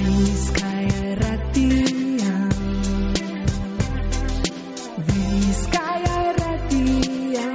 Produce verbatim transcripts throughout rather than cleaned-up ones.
Bizkaia Irratia, Bizkaia Irratia.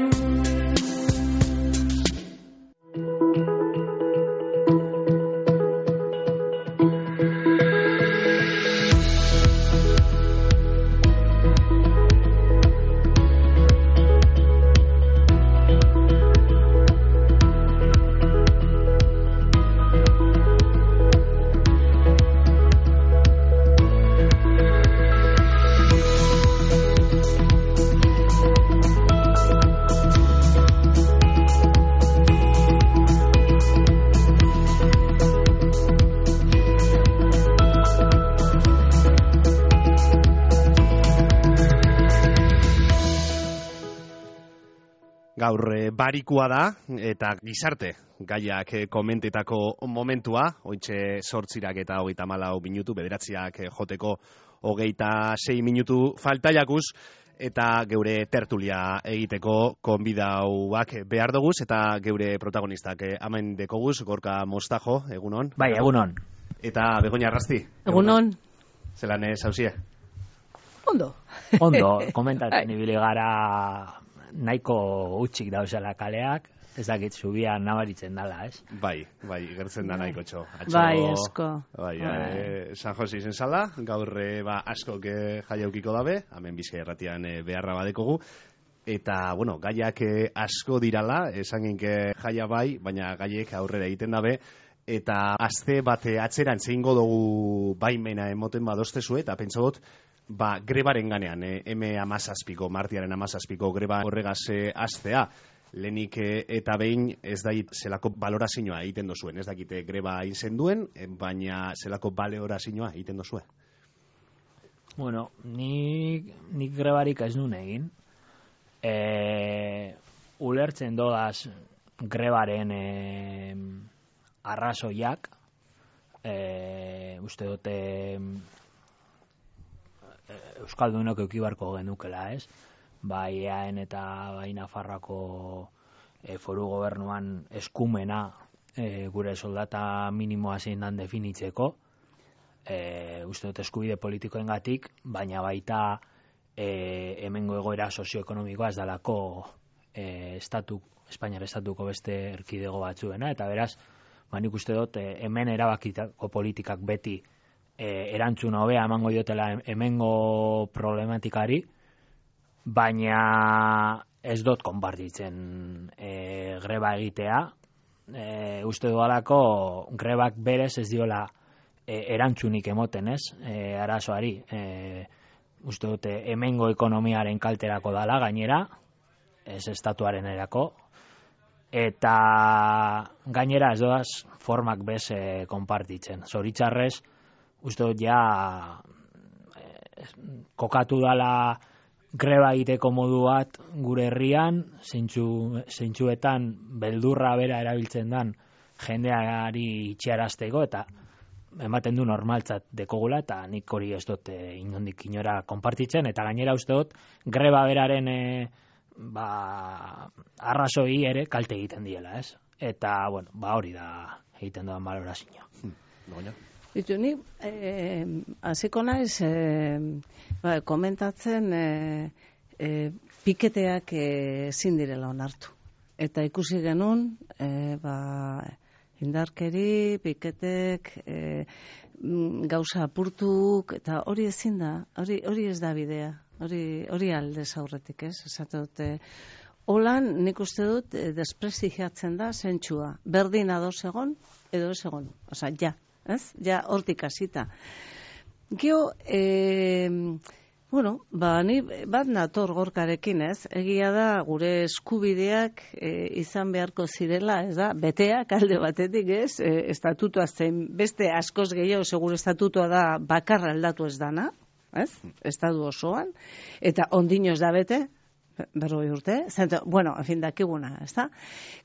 Gaur barikua da eta gizarte gaiak komentetako momentua, ointxe sortzirak eta hogeita hamalau minutu, bederatziak joteko hogeita sei minutu faltaiakuz, eta geure tertulia egiteko konbidauak behar doguz, eta geure protagonistak hemen dekoguz, Gorka Mostajo, egunon. Bai, egunon. Eta Begoña Arrasti. Egunon. Zelan ez hausie? Ondo. Ondo, komentatzen ibili gara nahiko utxik dauzela kaleak, ez dakit zubian nabaritzen dala, ez? Bai, bai, gertzen da nahiko txo. Atxo, bai, asko. Bai, bai. San Jose izen zala, gaur ba, asko jaiaukiko dabe, hemen Bizkaia Irratian beharra badekogu, eta, bueno, gaiak asko dirala, esan ginke jaia bai, baina gaiek aurrera egiten dabe, eta azte bate atzeran zeingo dugu baimena emoten badostezue, eta pentsa dut, ba, grebaren ganean, eh, eme amazazpiko, martiaren amazazpiko greba horregaz eh, aztea, lehenik eh, eta behin ez da zelako balorazioa egiten dozuen, ez dakite greba izen duen, eh, baina zelako balorazioa egiten dozue. Bueno, nik, nik grebarik ez nun egin. E, ulertzen dodaz grebaren e, arrazoiak, e, uste dute Euskaldunok eukibarko genukela, ez? Bai eaen eta bai Nafarroako e, foru gobernuan eskumena e, gure soldata minimoa zein dan definitzeko, e, uste dut eskubide politikoengatik, baina baita e, hemengo egoera sozioekonomikoa ez dalako e, estatu, Espainiar estatuko beste erkidego batzuena, eta beraz, ba, nik uste dut e, hemen erabakitako politikak beti E, erantzun hobea emango diotela hemengo problematikari, baina ez dut konpartitzen e, greba egitea. E, uste dualako grebak berez ez diola e, erantzunik emoten, ez? E, arazoari. E, uste dute hemengo ekonomiaren kalterako dala gainera, ez estatuaren erako, eta gainera ez doaz formak bez e, konpartitzen. Zoritxarrez, uste dut ja eh, kokatu dala greba egiteko modu bat gure herrian, zeintzu, zeintzuetan beldurra bera erabiltzen dan jendeari itxarazteko, eta ematen du normaltzat dekogula, eta nik hori ez dut eh, inondik inora konpartitzen, eta gainera uste dut greba beraren eh, ba, arrazoi ere kalte egiten diela, ez? Eta, bueno, ba hori da egiten doan balorazioa. Hmm. Bitu, ni eh, hasiko naiz eh, ba, komentatzen eh, eh, piketeak ezin eh, direla onartu. Eta ikusi genuen eh, ba, indarkeri, piketek, eh, gauza apurtuk, eta hori ezin da, hori, hori ez da bidea, hori, hori aldez aurretik, ez? Esate dute, holan nik uste dut eh, desprestigiatzen da zentsua, berdin ados egon, edo ez egon, osea, ja. Ez? Ja, hortik hasita. Gio, e, bueno, ba, ni bat nator Gorkarekin, ez? Egia da, gure eskubideak e, izan beharko zirela, ez da? Beteak alde batetik, ez? E, estatutua zen, beste askoz gehiago, segure estatutua da bakarra aldatu ez dana, ez? Estatu osoan, eta ondino ez da bete, berroi urte, zento, bueno, en fin, dakiguna, ez da?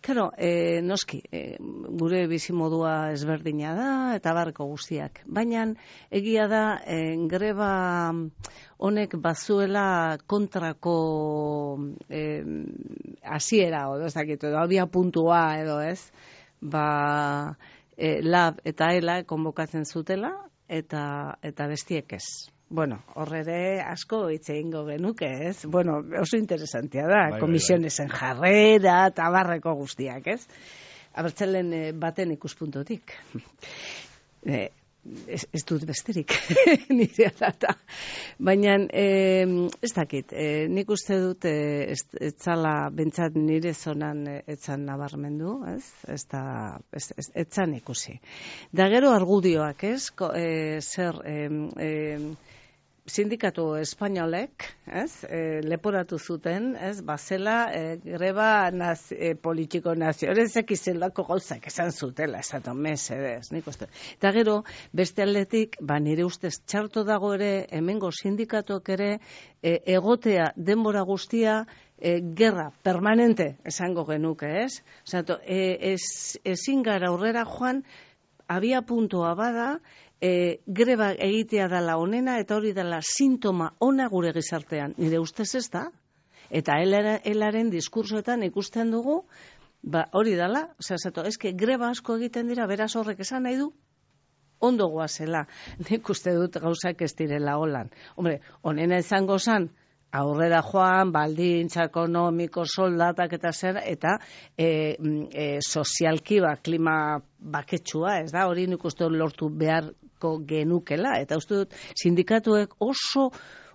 Claro, eh, noski, eh, gure bizimodua ezberdina da, eta barreko guztiak. Baina, egia da, eh, greba honek bazuela kontrako eh, hasiera, edo ez dakit, edo abia puntua, edo ez, ba, eh, lab eta ela konbokatzen zutela, eta eta bestiek ez. Bueno, horre ere asko hitz egingo genuke, ez? Bueno, oso interesantea da, Bai, komisionesen jarrera eta barreko guztiak, ez? Abertzalen eh, baten ikuspuntotik. eh, ez, ez dut besterik, nire data. Baina, eh, ez dakit, eh, nik uste dut eh, ez, ez zala bentsat nire zonan eh, etzan nabarmendu, ez? Ez da, ez, ez, etzan ikusi. Da gero argudioak, ez? Ko, eh, zer, eh, eh, sindikatu espainolek, ez, e, leporatu zuten, ez, bazela e, greba naz, e, politiko nazioarezek izelako gauzak esan zutela, esaton mesedez, nik uste. Eta gero, beste aldetik, ba, nire ustez txarto dago ere, hemengo sindikatuak ere, e, egotea denbora guztia, e, gerra permanente esango genuke, ez? Osato, e, ez, ezin gara aurrera joan, abia puntua bada, E, greba egitea dela onena eta hori dela sintoma ona gure gizartean. Nire ustez ez da. Eta helaren diskursoetan ikusten dugu, ba, hori dela, osea, zato, eske greba asko egiten dira, beraz horrek esan nahi du, ondo goazela. Nik uste dut gauzak ez direla holan. Hombre, onena izango zan, aurrera joan, baldintza ekonomiko, soldatak eta zer, eta e, e, sozialki ba, klima baketsua, ez da, hori nik uste lortu beharko genukela, eta uste dut sindikatuek oso,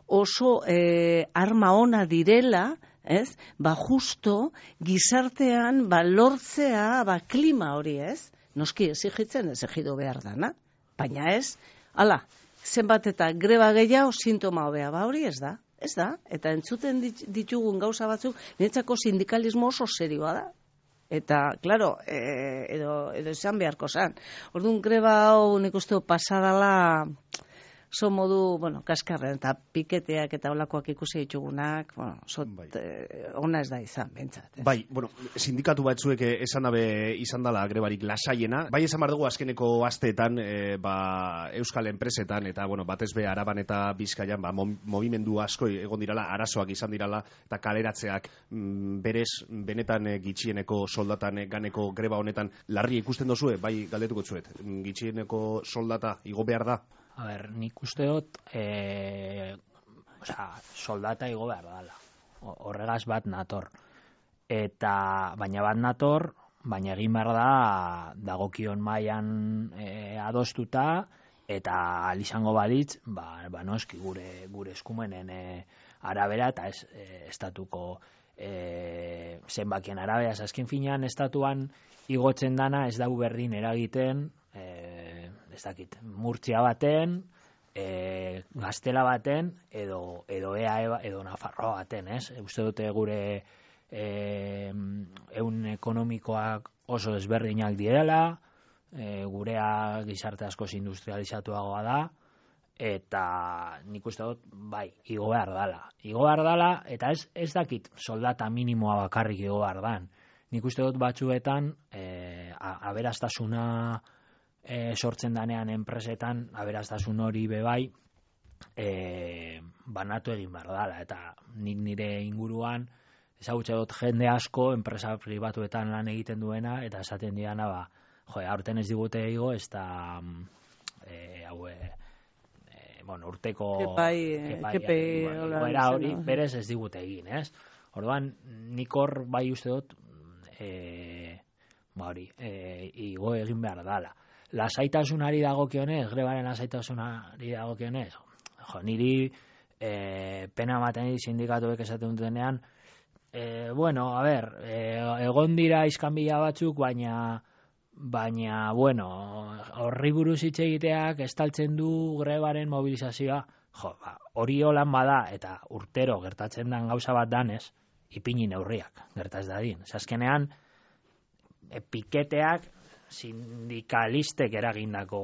oso e, arma ona direla, ez, ba justo gizartean ba lortzea ba klima hori, ez, noski exigitzen exigido behar dana, baina ez, hala, zenbat eta greba gehiago sintoma hobea, ba hori ez da. Ez da, eta entzuten ditugun gauza batzuk, niretzako sindikalismo oso serioa da. Eta, klaro, e, edo, edo esan beharko zan. Orduan, greba hau nik uste pasadala, zo modu, bueno, kaskarren, eta piketeak eta olakoak ikusi ditugunak, bueno, zot, bai. eh, ona ez da izan, bentsat. Bai, bueno, sindikatu batzuek esan dabe izan dela grebarik lasaiena. Bai, esan behar dugu azkeneko asteetan, e, ba, euskal enpresetan, eta, bueno, batez be Araban eta Bizkaian, ba, movimendu asko egon dirala, arazoak izan dirala, eta kaleratzeak mm, berez, benetan e, gitxieneko soldatan e, ganeko greba honetan, larri ikusten dozue, bai, galdetuko zuet, gitxieneko soldata igo behar da? A ber, nik uste dut, e, osea, soldata igo behar dala. Horregaz bat nator. Eta, baina bat nator, baina egin behar da, dagokion mailan e, adostuta, eta alizango balitz, ba, ba noski gure, gure eskumenen e, arabera, eta ez e, estatuko e, zenbakien arabera, azken finean estatuan igotzen dana ez dau berdin eragiten, e, ez dakit, Murtzia baten, e, Gaztela baten, edo, edo E A E edo Nafarroa baten, ez? Uste dute gure e, ehun ekonomikoak oso desberdinak direla, e, gurea gizarte askoz industrializatuagoa da, eta nik uste dut, bai, igo behar dala. Igo behar dala, eta ez, ez dakit soldata minimoa bakarrik igo behar dan. Nik uste dut batzuetan, e, aberastasuna E, sortzen danean enpresetan, aberastasun hori bebai, e, banatu egin behar dala, eta nik nire inguruan, ezagutze dut jende asko, enpresa pribatuetan lan egiten duena, eta esaten diana, ba, jo, aurten ez digute ego, ez da, e, hau, e, bueno, urteko kepai, kepai, goera hori, berez ez digute egin, ez? Orduan, nik hor bai uste dut, e, ba hori, e, igo egin behar dala. Lasaitasunari dagokionez, grebaren lasaitasunari dagokionez, jo, niri e, pena ematen dit sindikatuek esaten dutenean, e, bueno, a ber, e, egon dira iskanbila batzuk, baina, baina, bueno, horri buruz hitz egiteak estaltzen du grebaren mobilizazioa, jo, ba, hori holan bada, eta urtero gertatzen den gauza bat danez, ipini neurriak, gertaz dadin. Azkenean, e, piketeak, sindikalistek eragindako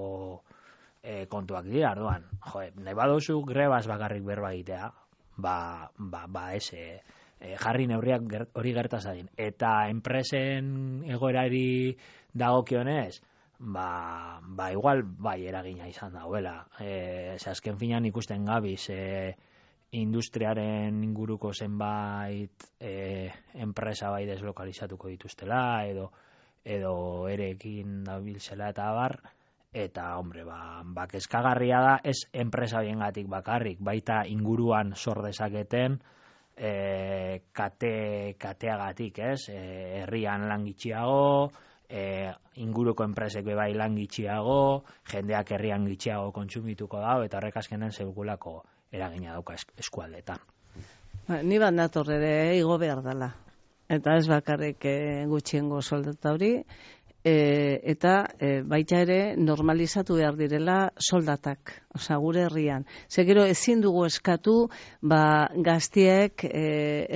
e, kontuak dira, arduan. Jo, nahi badozu grebaz bakarrik berba egitea, ba, ba, ba ese, e, jarri neurriak ger, hori gertazadin. Eta enpresen egoerari dagokionez, ba, ba igual bai eragina izan dauela. E, ze azken finan ikusten gabiz, e, industriaren inguruko zenbait e, enpresa bai deslokalizatuko dituztela, edo edo erekin dabiltzela eta abar, eta, hombre, ba, ba kezkagarria da, ez enpresa horiengatik bakarrik, baita inguruan sor dezaketen, e, kate, kateagatik, ez? E, herrian lan gitxiago, e, inguruko enpresek bebai lan gitxiago, jendeak herrian gitxiago kontsumituko dago, eta horrek azkenen zeugulako eragina dauka eskualdetan. Ba, ni bat nator ere igo behar dela. Eta ez bakarrik e, gutxiengo soldata hori, E, eta e, baita ere normalizatu behar direla soldatak, osea gure herrian. Ze gero ezin dugu eskatu, ba gaztiek e,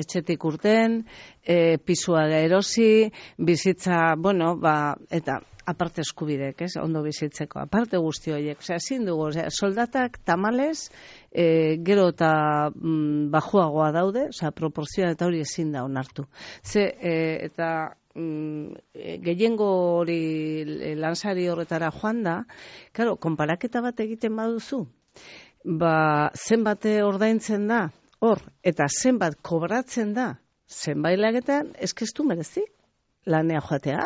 etxetik urten, e, pisua erosi, bizitza, bueno, ba eta aparte eskubidek, ez? Ondo bizitzeko, aparte guzti horiek. Osea, ezin dugu, osea, soldatak tamales e, gero eta mm, bajuagoa daude, osea, proporzioa eta hori ezin da onartu. Ze e, eta gehiengo hori lansari horretara joan da, claro, konparaketa bat egiten baduzu, ba, zenbat ordaintzen da, hor, eta zenbat kobratzen da, zenbait lagetan, eskeztu merezi, lanea joatea,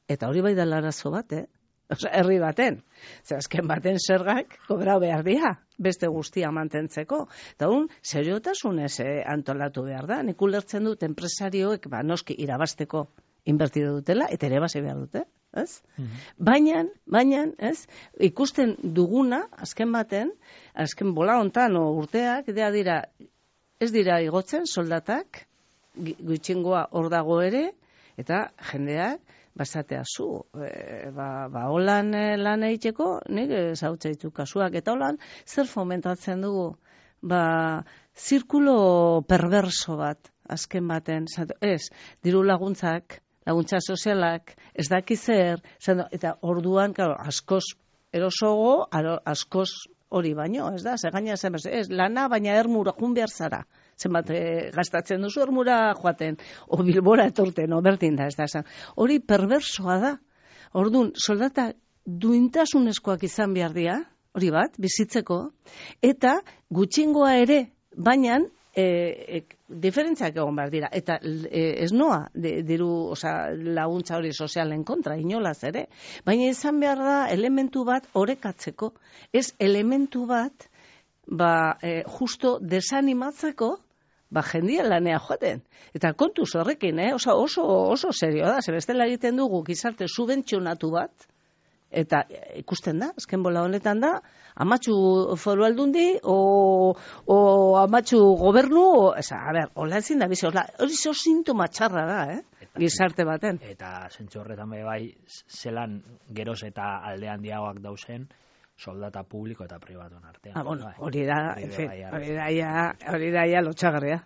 eta hori bai da larazo bat, eh? Osa, herri baten. Zer, azken baten zergak kobrau behar dira, beste guztia mantentzeko. Eta hon, seriotasunez eh, antolatu behar da. Nik ulertzen dut enpresarioek, ba, noski irabasteko inbertido dutela, eta ere base behar dute, ez? Mm-hmm. Baina, baina, ez? Ikusten duguna, azken baten, azken bola hontan o urteak, dira dira, ez dira igotzen soldatak, gutxingoa hor dago ere, eta jendeak, basatea zu, e, ba, ba holan e, lan egiteko, nik zautza ditu kasuak, eta holan, zer fomentatzen dugu? Ba, zirkulo perverso bat, azken baten, zato, ez, diru laguntzak, laguntza sozialak, ez daki zer, zato, eta orduan, claro, askoz erosogo, aro, askoz hori baino, ez da, ze gaina zen, ez, lana, baina ermura jun behar zara. Zenbat e, gastatzen duzu ermura joaten, o bilbora etorten, o berdin da, ez da, esan. Hori perversoa da. Orduan, soldata duintasunezkoak izan behar dira, hori bat, bizitzeko, eta gutxingoa ere, baina e, e, diferentziak egon behar dira, eta e, ez noa, de, diru, oza, laguntza hori sozialen kontra, inolaz ere, baina izan behar da elementu bat orekatzeko, ez elementu bat, ba, e, justo desanimatzeko, ba, jendia lanea joaten. Eta kontuz horrekin, eh? Oso, oso, oso serio da, ze bestela egiten dugu gizarte subentzionatu bat, eta ikusten da, azken bola honetan da, amatxu foru aldundi, o, o amatxu gobernu, o, eza, a ber, hola ezin da bizi, hori zo sintoma txarra da, eh? Eta, gizarte baten. Eta zentzu horretan bai, zelan geroz eta aldean diagoak dauzen, soldata publiko eta pribatuen artean. Ah, bueno, hori da, hori da, hori da, ja, lotxagarria.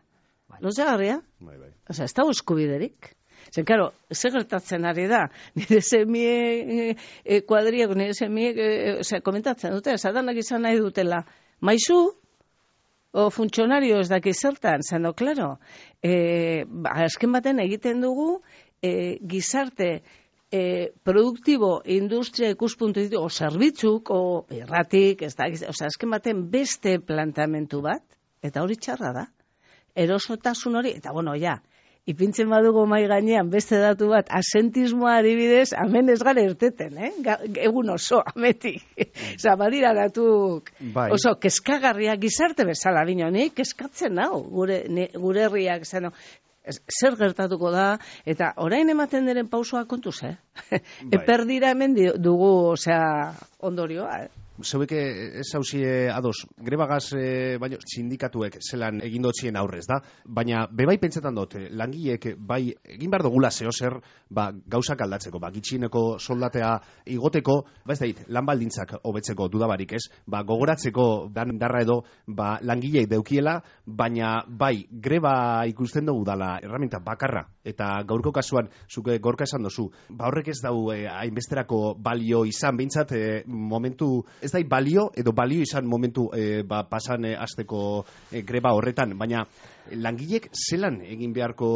Lotxagarria? Bai, bai. Osa, ez da eskubiderik. Zer, karo, zer gertatzen ari da, nire semie e, kuadriak, nire semie, e, ose, komentatzen dute, zadanak izan nahi dutela, maizu, o funtzionario ez daki zertan, zeno, klaro, e, ba, azken baten egiten dugu, e, gizarte, E, produktibo, industria ikuspuntu ditu, o zerbitzuk, o erratik, ez da, o sea, azken baten beste plantamentu bat, eta hori txarra da. Erosotasun hori, eta bueno, ja, ipintzen badugu mai gainean beste datu bat, asentismoa adibidez, hemen ez gara erteten, eh? Egun oso, ametik. Osa, badira datuk bai. Oso, kezkagarria gizarte bezala, bino, nik keskatzen hau, gure, ne, gure herriak, zeno, zer gertatuko da, eta orain ematen diren pausoa kontuz, eh? Bai. Eper dira hemen dugu, osea, ondorioa, eh? Zeuek ez hausie ados, grebagaz e, baino sindikatuek zelan egin dotzien aurrez da, baina bebai pentsetan dut, langileek bai egin behar dugula zehozer ba, gauzak aldatzeko, ba, gitxieneko soldatea igoteko, ba ez da hit, lan baldintzak hobetzeko dudabarik ez, ba, gogoratzeko dan darra edo ba, langileek deukiela, baina bai greba ikusten dugu dala erraminta bakarra, eta gaurko kasuan zuke gorka esan dozu, ba horrek ez dau eh, hainbesterako balio izan, behintzat eh, momentu ez da balio, edo balio izan momentu e, ba, pasan e, azteko e, greba horretan, baina langilek zelan egin beharko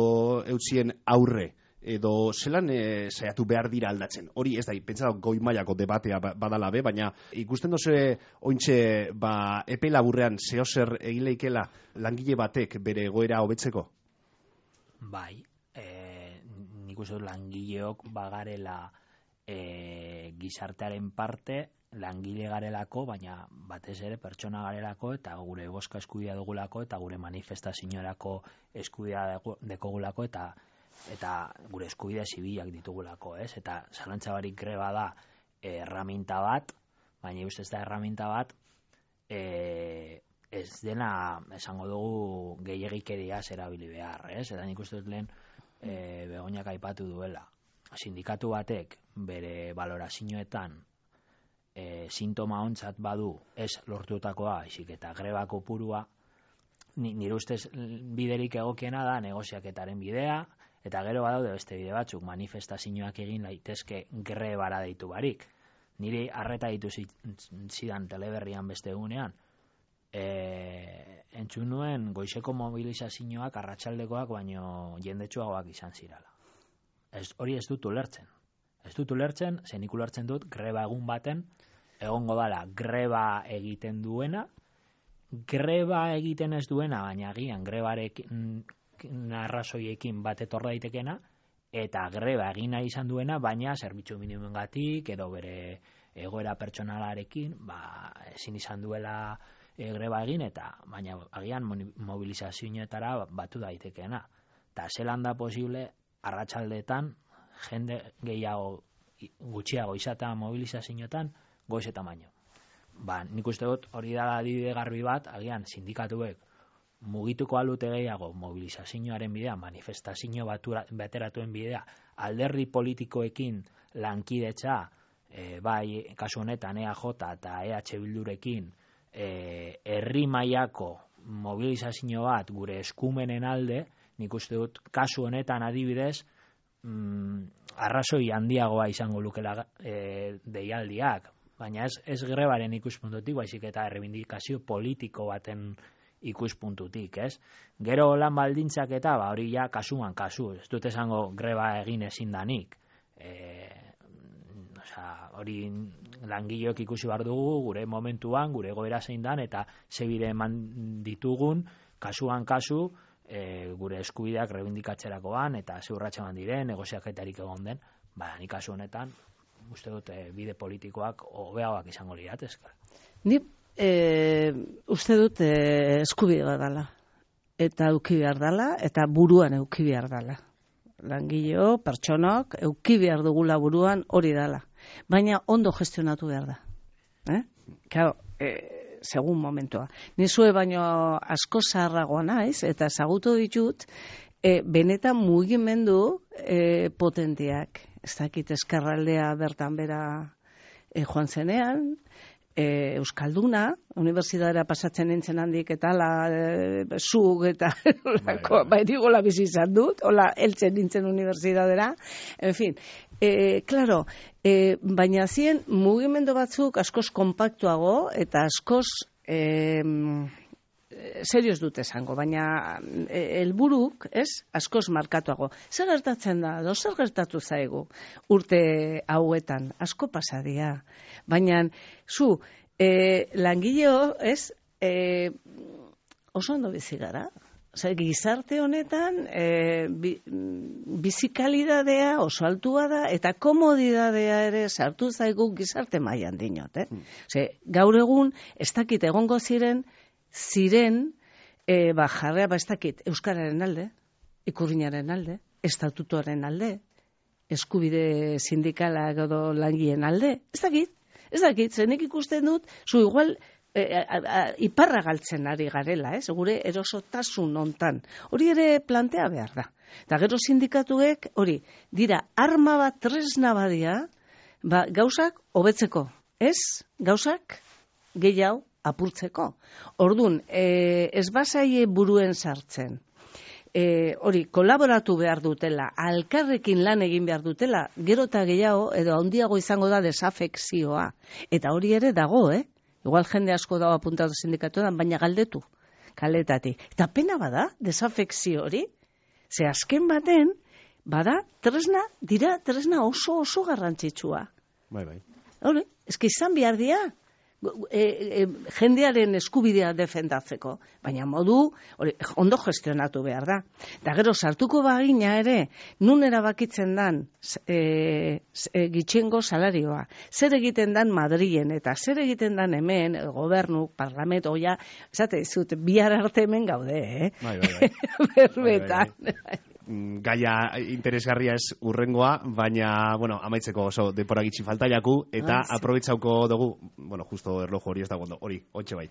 eutsien aurre, edo zelan e, saiatu behar dira aldatzen. Hori ez da, pentsa goi mailako debatea badala be, baina ikusten doze ointxe ba, epe laburrean zehozer egin leikela langile batek bere egoera hobetzeko? Bai, e, nik uste dut langileok bagarela e, gizartearen parte, langile garelako, baina batez ere pertsona garelako, eta gure boska eskubidea dugulako, eta gure manifestazioarako eskubidea dekogulako, eta eta gure eskubide zibilak ditugulako, ez? Eta zalantza barik greba da erraminta bat, baina ustez ez da erraminta bat, e, ez dena, esango dugu, gehiagikeria erabili behar, ez? Eta nik uste dut lehen e, Begoñak aipatu duela. Sindikatu batek bere valorazioetan e, sintoma ontzat badu ez lortutakoa, isik eta greba kopurua, nire ustez biderik egokiena da negoziaketaren bidea, eta gero badaude beste bide batzuk, manifestazioak egin laitezke grebara deitu barik. Niri arreta ditu zidan teleberrian beste egunean, e, entzun nuen goizeko mobilizazioak arratsaldekoak baino jendetsuagoak izan zirala. Ez, hori ez dut ulertzen. Ez dut ulertzen, zenik ulertzen dut greba egun baten, egongo dala greba egiten duena, greba egiten ez duena, baina agian grebarekin arrazoiekin bat etorra daitekena, eta greba egin nahi izan duena, baina zerbitzu minimoengatik edo bere egoera pertsonalarekin, ba, ezin izan duela e, greba egin, eta baina agian mobilizazioetara batu daitekeena. Eta zelan da posible arratsaldeetan jende gehiago gutxiago izatea mobilizazioetan goiz eta baino. Ba, nik uste dut hori da adibide garbi bat, agian sindikatuek mugituko alute gehiago mobilizazioaren bidea, manifestazio bateratuen bidea, alderdi politikoekin lankidetza, e, bai kasu honetan E A J eta E H Bildurekin e, herri mailako mobilizazio bat gure eskumenen alde, nik uste dut kasu honetan adibidez mm, arrazoi handiagoa izango lukela e, deialdiak, baina ez, ez grebaren ikuspuntutik, baizik eta errebindikazio politiko baten ikuspuntutik, ez? Gero lan baldintzak eta ba, hori ja kasuan kasu, ez dut esango greba egin ezin danik. E, osea, hori langileok ikusi behar dugu gure momentuan, gure egoera zein dan, eta zebide eman ditugun, kasuan kasu, e, gure eskubideak rebindikatzerakoan, eta zeurratxean diren, negoziaketarik egon den, ba, nik kasu honetan, uste dut e, bide politikoak hobeagoak izango liratezke. Ni e, uste dut e, eskubide bat dala. Eta euki behar dala, eta buruan euki behar dala. Langileo, pertsonok, euki behar dugula buruan hori dala. Baina ondo gestionatu behar da. Eh? Claro, e, segun momentua. Nizue baino asko zaharragoa naiz, eta ezagutu ditut, e, benetan mugimendu e, potenteak. Ez dakit eskarraldea bertan bera e, joan zenean, e, Euskalduna, unibertsitatera pasatzen nintzen handik eta ala e, zug eta bai digola bizi izan dut, hola heltzen nintzen unibertsitatera, en fin, e, claro, e, baina zien mugimendu batzuk askoz kompaktuago eta askoz e, serioz dut esango, baina helburuk, ez, askoz markatuago. Zer gertatzen da, do zer gertatu zaigu urte hauetan, asko pasadia. Baina, zu, e, langileo, ez, e, oso ondo bizi gara. Osa, gizarte honetan, e, bi, bizikalidadea oso altua da, eta komodidadea ere sartu zaigu gizarte mailan dinot, eh? Mm. Ose, gaur egun, ez dakit egongo ziren, ziren, e, ba, jarrea, ba, ez dakit, euskararen alde, ikurrinaren alde, estatutuaren alde, eskubide sindikala edo langien alde, ez dakit, ez dakit, zenek ikusten dut, zu igual, e, a, a, iparra galtzen ari garela, ez, gure erosotasun hontan, hori ere plantea behar da. Eta gero sindikatuek, hori, dira, arma bat tresna badia, ba, gauzak hobetzeko, ez, gauzak gehiago apurtzeko. Ordun, e, ez bazaie buruen sartzen. E, hori, kolaboratu behar dutela, alkarrekin lan egin behar dutela, gero eta gehiago, edo handiago izango da desafekzioa. Eta hori ere dago, eh? Igual jende asko dago apuntatu sindikatuan, baina galdetu, kaletatik. Eta pena bada, desafekzio hori, ze azken baten, bada, tresna, dira tresna oso oso garrantzitsua. Bai, bai. Hori, eski izan behar dira, e, e, jendearen eskubidea defendatzeko, baina modu hori, ondo gestionatu behar da. Da gero sartuko bagina ere, nun erabakitzen dan e, e, gitxengo salarioa, zer egiten dan Madrilen eta zer egiten dan hemen, el gobernu, parlamento, ja, esate dizut, bihar arte hemen gaude, eh? Bai, bai, bai. Berbetan. Bai, bai, bai. Gaia interesgarria ez urrengoa, baina, bueno, amaitzeko oso depora gitxi falta jaku, eta Ah, sí. aprobetsauko dugu, bueno, justo erloju hori ez dago ondo, hori, hotxe bai.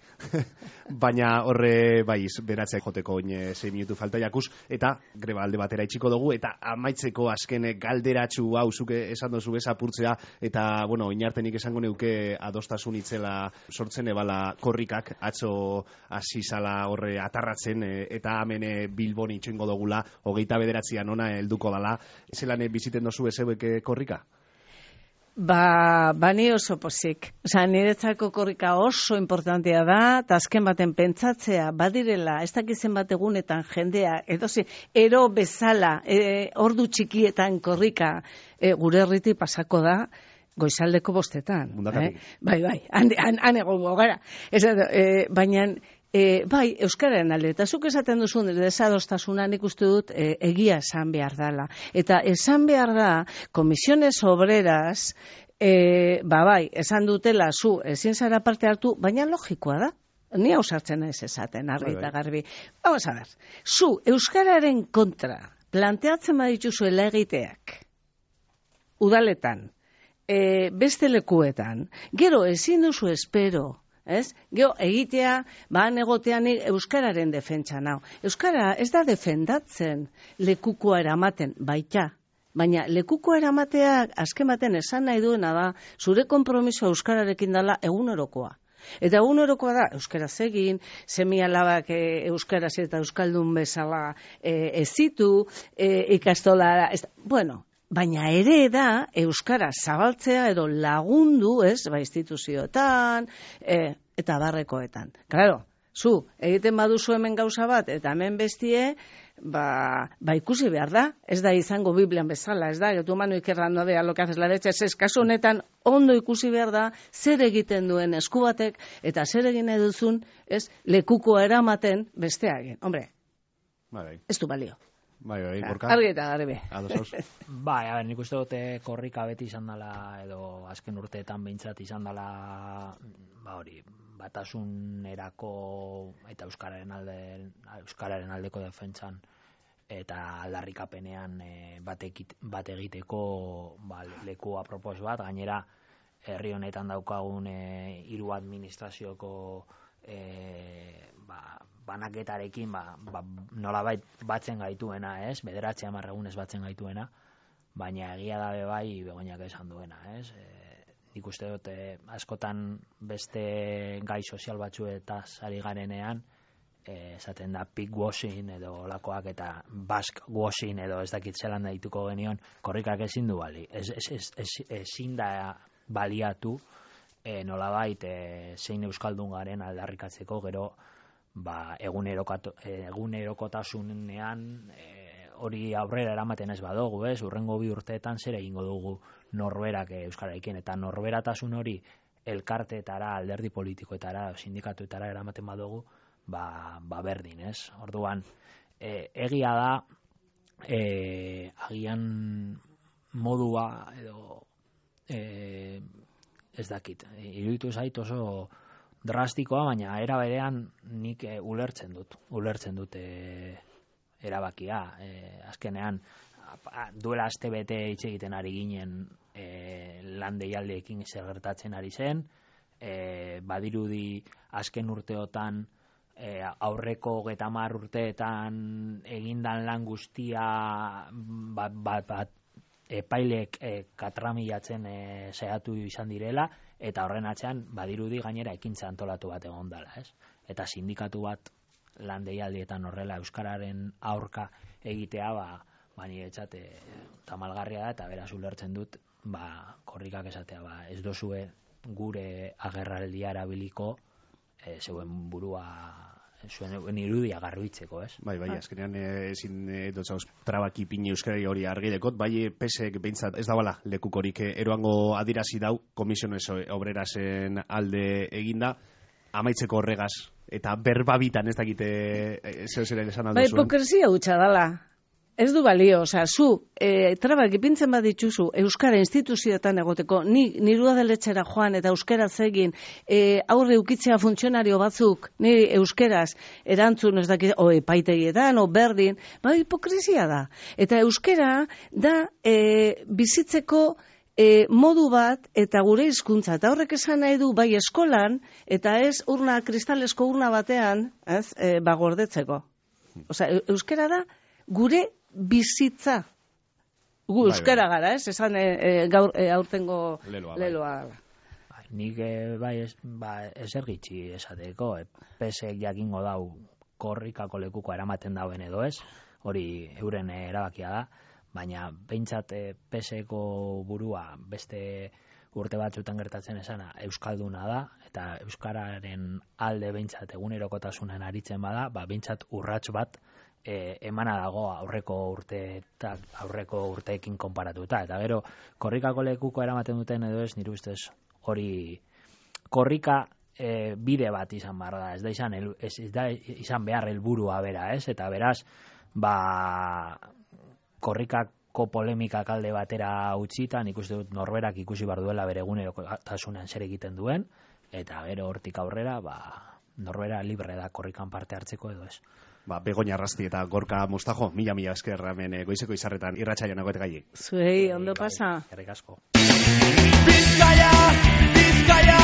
Baina horre, bai, beratzea joteko oin sei minutu falta jakuz, eta greba alde batera itxiko dugu, eta amaitzeko azken galderatxu hau, zuke esan dozu ez apurtzea, eta, bueno, inartenik esango neuke adostasun itzela sortzen ebala korrikak, atzo hasi zala horre atarratzen, e, eta hemen e, Bilbon itxoingo dugula, hogeita bederatzian ona helduko dala, zelan biziten dozu ezeuek korrika? Ba, bani oso pozik. Osa, niretzako korrika oso importantea da, eta azken baten pentsatzea, badirela, ez dakizen bat egunetan jendea, edozi, ero bezala, e, ordu txikietan korrika e, gure herriti pasako da, goizaldeko bostetan. Mundakatik. Eh? Bai, bai, han, han, han egongo gara. Ez, e, baina, E, bai, euskararen alde, eta zuk esaten duzun desadostasuna nik uste dut e, egia esan behar dela. Eta esan behar da, komisiones obreras, e, ba bai, esan dutela zu ezin zara parte hartu, baina logikoa da. Ni hau sartzen ez esaten, argi eta garbi. Vamos a ver, zu euskararen kontra planteatzen badituzuela egiteak, udaletan, e, beste lekuetan, gero ezin duzu espero, ez? Geo, egitea, ba, egotean euskararen defentsa nau. Euskara ez da defendatzen lekukoa eramaten, baita. Baina lekukoa eramateak azken baten esan nahi duena da, zure konpromiso euskararekin dela egunerokoa. Eta egunerokoa da, euskaraz egin, semi-alabak e, euskaraz eta euskaldun bezala e, ezitu, e, ikastola, ez, bueno, baina ere da euskara zabaltzea edo lagundu, ez, ba instituzioetan, e, eta barrekoetan. Claro, zu, egiten baduzu hemen gauza bat, eta hemen bestie, ba, ba ikusi behar da, ez da izango Biblian bezala, ez da, tu mano izquierda vea lo que haces la derecha, ez kasu honetan ondo ikusi behar da, zer egiten duen esku batek, eta zer egin nahi duzun, ez, lekukoa eramaten bestea egin. Hombre, Bai, ez du balio. bai, bai, gorka. Argi eta garbi. Ados, Bai, a ber, nik uste dute korrika beti izan dela, edo azken urteetan behintzat izan dela, ba hori, batasunerako eta euskararen alde, euskararen aldeko defentsan eta aldarrikapenean e, bat, ekit, bat egiteko ba, leku apropos bat, gainera herri honetan daukagun e, hiru administrazioko e, ba, banaketarekin ba, ba, nolabait batzen gaituena, ez? Bederatzi hamar egunez batzen gaituena, baina egia da bai Begoñak esan duena, ez? E, nik uste dut e, askotan beste gai sozial batzuetaz ari garenean, e, esaten da pig washing edo olakoak eta bask washing edo ez dakit zelan daituko genion, korrikak ezin du bali, ez, ez, ez, ez, ezin da baliatu e, nolabait e, zein euskaldun garen aldarrikatzeko gero ba, egunerokotasunean e, hori aurrera eramaten ez badugu, ez? Urrengo bi urteetan zer egingo dugu norberak euskararekin, eta norberatasun hori elkarteetara, alderdi politikoetara, sindikatuetara eramaten badugu, ba, ba berdin, ez? Orduan, e, egia da, e, agian modua edo e, ez dakit, iruditu zait oso drastikoa, baina era berean nik e, ulertzen dut, ulertzen dut e, erabakia. E, azkenean, a, duela aste bete hitz egiten ari ginen e, lan deialdeekin zer gertatzen ari zen, e, badirudi azken urteotan e, aurreko hogeita hamar urteetan egindan lan guztia bat, bat, bat epailek e, katramilatzen e, saiatu izan direla, eta horren atzean badirudi gainera ekintza antolatu bat egon dela, ez? Eta sindikatu bat lan deialdietan horrela euskararen aurka egitea, ba, ba niretzat e, tamalgarria da, eta beraz ulertzen dut, ba, korrikak esatea, ba, ez dozue gure agerraldia erabiliko e, zeuen burua zuen irudia garbitzeko, ez? Bai, bai, azkenean eh, ezin eh, dotzauz trabaki pini euskarari hori argi dekot, bai pesek behintzat ez dabala lekukorik eh, eroango adirazi dau, komisiones obrerasen alde eginda, amaitzeko horregaz, eta berbabitan ez dakite eh, zeu zeren esan aldo Ba, zuen. hipokresia hutsa dala. Ez du balio, osea, zu, e, trabak ipintzen badituzu, Euskara instituzioetan egoteko, ni niru adeletxera joan eta euskaraz egin, e, aurre ukitzea funtzionario batzuk, ni euskeraz erantzun ez dakit, o epaitegietan, o berdin, ba, hipokresia da. Eta euskara da e, bizitzeko e, modu bat eta gure hizkuntza. Eta horrek esan nahi du bai eskolan, eta ez urna, kristalesko urna batean, ez, e, bagordetzeko. Osea, euskara da gure bizitza. Gu Bai, euskara bai. gara, ez? Esan e, e, gaur e, aurtengo Leloa, bai. leloa dela. Bai, nik eh, bai ez, ba, ezer gitxi esateko, e, pesek jakingo dau korrikako lekuko eramaten dauen edo ez, hori euren eh, erabakia da, baina behintzat eh, peseko burua beste urte batzutan gertatzen esana euskalduna da, eta euskararen alde behintzat egunerokotasunen aritzen bada, ba, behintzat urrats bat E, emana dago aurreko urte aurreko urteekin konparatuta, eta gero korrikako lekuko eramaten duten edo ez, nire ustez hori korrika e, bide bat izan behar da, ez da izan, el, ez, ez da izan behar helburua bera, ez, eta beraz ba korrikako polemikak alde batera utzita, nik uste dut norberak ikusi behar duela bere egunerokotasunean zer egiten duen, eta gero hortik aurrera ba norbera libre da korrikan parte hartzeko edo ez. Ba, Begoña Arrasti eta Gorka Mustajo, mila mila esker hemen eh, goizeko izarretan irratsaioan egote gai. Zuei, ondo pasa. Eskerrik asko. Bizkaia, Bizkaia,